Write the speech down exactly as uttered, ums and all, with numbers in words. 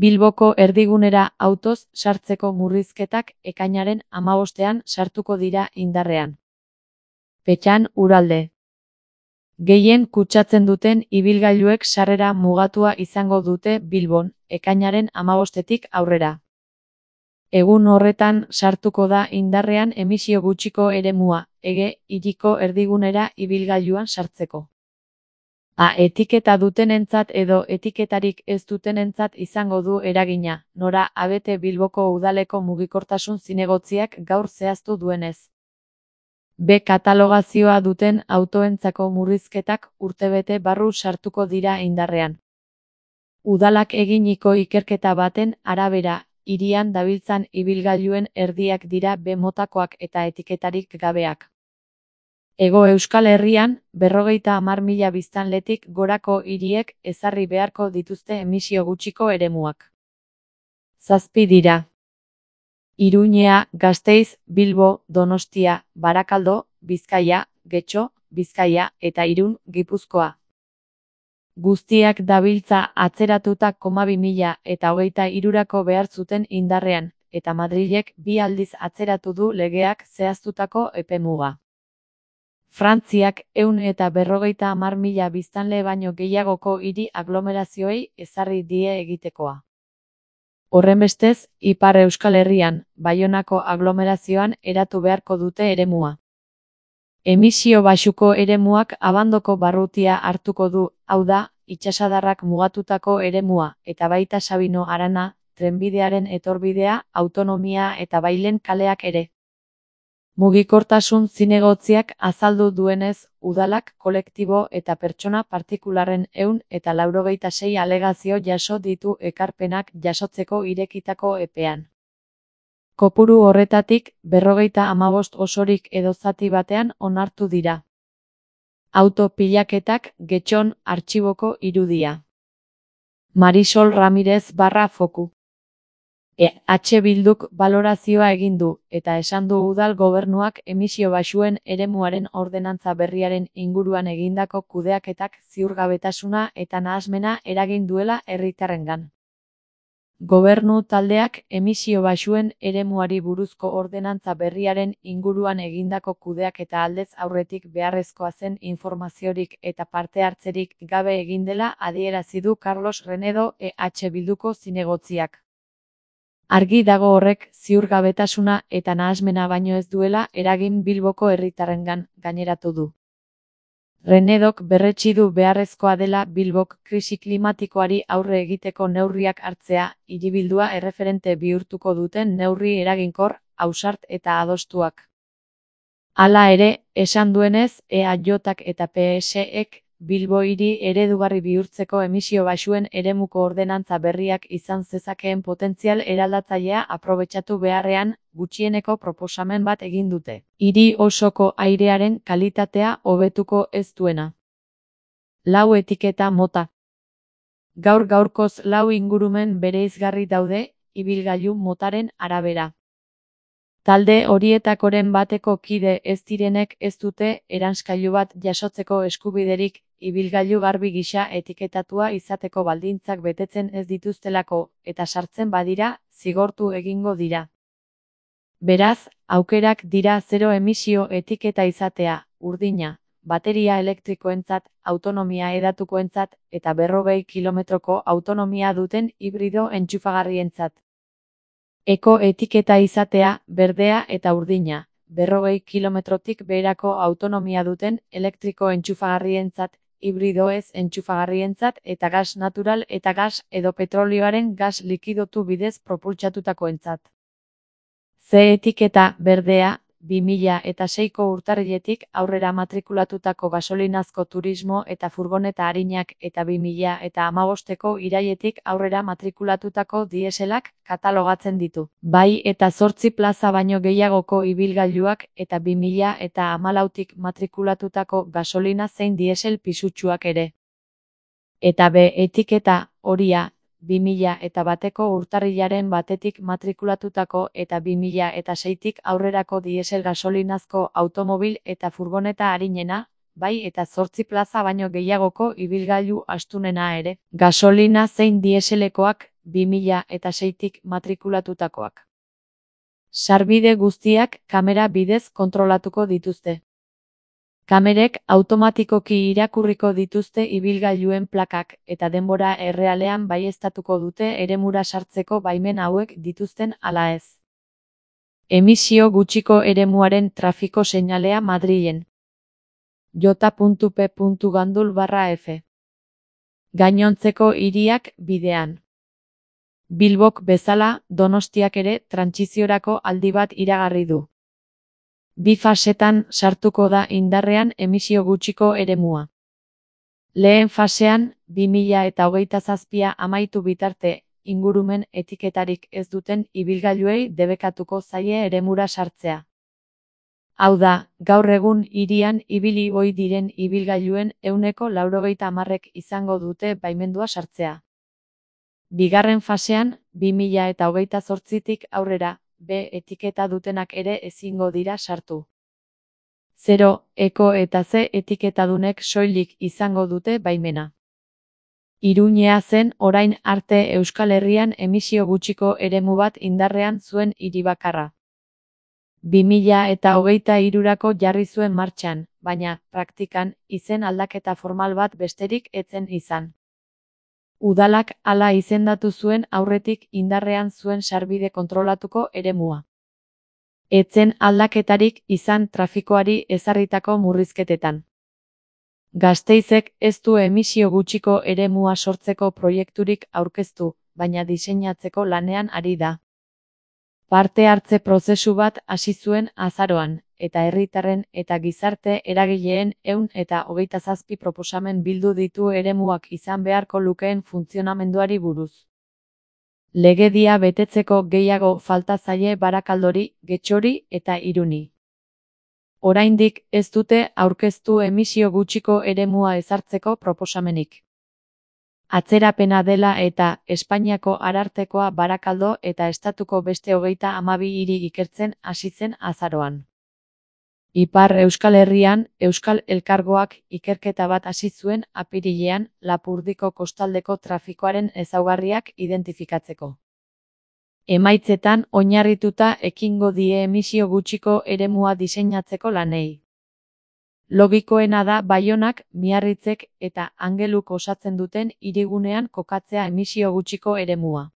Bilboko erdigunera autoz sartzeko murrizketak ekainaren hamabostean sartuko dira indarrean. Petxan Uralde. Gehien kutsatzen duten ibilgailuek sarrera mugatua izango dute Bilbon, ekainaren hamabostetik aurrera. Egun horretan sartuko da indarrean emisio gutxiko eremua, Ege hiriko erdigunera ibilgailuan sartzeko. A etiketa dutenentzat edo etiketarik ez dutenentzat izango du eragina, nora abete Bilboko udaleko mugikortasun zinegotziak gaur zehaztu duenez. B katalogazioa duten autoentzako murrizketak urtebete barru sartuko dira indarrean. Udalak eginiko ikerketa baten arabera, hirian dabiltzan ibilgailuen erdiak dira B motakoak eta etiketarik gabeak. Hego Euskal Herrian, berrogeita hamar mila biztanletik gorako hiriek ezarri beharko dituzte emisio gutxiko eremuak. Zazpi dira. Iruñea, Gasteiz, Bilbo, Donostia, Barakaldo, Bizkaia, Getxo, Bizkaia eta Irun, Gipuzkoa. Guztiak dabiltza atzeratuta koma bi mila eta hogeita hirurako behar zuten indarrean, eta Madrilek bi aldiz atzeratu du legeak zehaztutako epemuga. Frantziak ehun eta berrogeita hamar mila biztanle baino gehiagoko hiri aglomerazioei ezarri die egitekoa. Horrenbestez, Ipar Euskal Herrian, Baionako aglomerazioan eratu beharko dute eremua. Emisio baxuko eremuak abandoko barrutia hartuko du, hau da, itsasadarrak mugatutako eremua, eta baita Sabino Arana, trenbidearen etorbidea, autonomia eta Bailen kaleak ere. Mugikortasun zinegotziak azaldu duenez, udalak kolektibo eta pertsona partikularren ehun eta laurogeita sei alegazio jaso ditu ekarpenak jasotzeko irekitako epean. Kopuru horretatik, berrogeita hamabost osorik edo zati batean onartu dira. Auto pilaketak Getxon artxiboko irudia. Marisol Ramirez barra foku. E H Bilduk balorazioa egin du, eta esan du udal gobernuak emisio baxuen eremuaren ordenantza berriaren inguruan egindako kudeaketak ziurgabetasuna eta nahasmena eragin duela herritarrengan. Gobernu taldeak emisio baxuen eremuari buruzko ordenantza berriaren inguruan egindako kudeaketa aldez aurretik beharrezkoa zen informaziorik eta parte hartzerik gabe egin dela adierazi du Carlos Renedo E H Bilduko zinegotziak. Argi dago horrek ziurgabetasuna eta nahasmena baino ez duela eragin Bilboko herritarrengan, gaineratu du. Renedok berretsi du beharrezkoa dela Bilbok krisi klimatikoari aurre egiteko neurriak hartzea, hiribildua erreferente bihurtuko duten neurri eraginkor, ausart eta adostuak. Hala ere, esan duenez, E A Jak eta P S ek Bilbo hiri eredugarri bihurtzeko emisio baxuen eremuko ordenantza berriak izan zezakeen potentzial eraldatzailea aprobetxatu beharrean, gutxieneko proposamen bat egin dute. Hiri osoko airearen kalitatea hobetuko ez duena. Lau etiketa mota. Gaur gaurkoz lau ingurumen bereizgarri daude, ibilgailu motaren arabera. Talde horietakoren bateko kide ez direnek ez dute eranskailu bat jasotzeko eskubiderik, ibilgailu garbi gisa etiketatua izateko baldintzak betetzen ez dituztelako, eta sartzen badira, zigortu egingo dira. Beraz, aukerak dira zero emisio etiketa izatea, urdina, bateria elektrikoentzat, autonomia hedatukoentzat, eta berrogei kilometroko autonomia duten hibrido entxufagarrientzat. Eko etiketa izatea, berdea eta urdina, berrogei kilometrotik beherako autonomia duten elektriko entxufagarrientzat, hibrido ez entxufagarrientzat eta gas natural eta gas edo petrolioaren gas likidotu bidez propultsatutakoentzat. Z etiketa, berdea, bi mila seiko urtarriletik aurrera matrikulatutako gasolinazko turismo eta furgoneta arinak eta bi mila hamabosteko irailetik aurrera matrikulatutako dieselak katalogatzen ditu. Bai eta zortzi plaza baino gehiagoko ibilgailuak eta bi mila hamalautik matrikulatutako gasolina zein diesel pisutsuak ere. Eta B etiketa, horia, bi mila bateko urtarrilaren batetik matrikulatutako eta bi mila seitik aurrerako diesel gasolinazko automobil eta furgoneta arinena, bai eta zortzi plaza baino gehiagoko ibilgailu astunena ere. Gasolina zein dieselekoak, bi mila eta seitik matrikulatutakoak. Sarbide guztiak kamera bidez kontrolatuko dituzte. Kamerek automatikoki irakurriko dituzte ibilgailuen plakak eta denbora errealean baieztatuko dute eremura sartzeko baimen hauek dituzten ala ez. Emisio gutxiko eremuaren trafiko seinalea Madrilen. j puntu p puntu gandul barra f. Gainontzeko hiriak bidean. Bilbok bezala, Donostiak ere trantsiziorako aldi bat iragarri du. Bi fasetan sartuko da indarrean emisio gutxiko eremua. Lehen fasean, bi mila eta hogeita zazpia amaitu bitarte, ingurumen etiketarik ez duten ibilgailuei debekatuko zaie eremura sartzea. Hau da, gaur egun hirian ibili ohi diren ibilgailuen ehuneko laurogeita hamarrek izango dute baimendua sartzea. Bigarren fasean, bi mila eta hogeita zortzitik aurrera, B etiketa dutenak ere ezingo dira sartu. Zero, eko eta Z etiketadunek soilik izango dute baimena. Iruñea zen orain arte Euskal Herrian emisio gutxiko eremu bat indarrean zuen hiri bakarra. bi mila eta hogeita hirurako jarri zuen martxan, baina, praktikan, izen aldaketa formal bat besterik ez zen izan. Udalak hala izendatu zuen aurretik indarrean zuen sarbide kontrolatuko eremua. Ez zen aldaketarik izan trafikoari ezarritako murrizketetan. Gasteizek ez du emisio gutxiko eremua sortzeko proiekturik aurkeztu, baina diseinatzeko lanean ari da. Parte hartze prozesu bat hasi zuen azaroan, eta herritarren eta gizarte eragileen ehun eta hogeita zazpi proposamen bildu ditu eremuak izan beharko lukeen funtzionamenduari buruz. Legedia betetzeko gehiago falta zaie Barakaldori, Getxori eta Iruni. Oraindik ez dute aurkeztu emisio gutxiko eremua ezartzeko proposamenik. Atzerapena dela eta Espainiako Arartekoa Barakaldo eta estatuko beste hogeita hamabi hiri ikertzen hasi zen azaroan. Ipar Euskal Herrian, Euskal Elkargoak ikerketa bat hasi zuen apirilean Lapurdiko kostaldeko trafikoaren ezaugarriak identifikatzeko. Emaitzetan oinarrituta ekingo die emisio gutxiko eremua diseinatzeko lanei. Logikoena da Baionak, Miarritzek eta Angeluk osatzen duten hirigunean kokatzea emisio gutxiko eremua.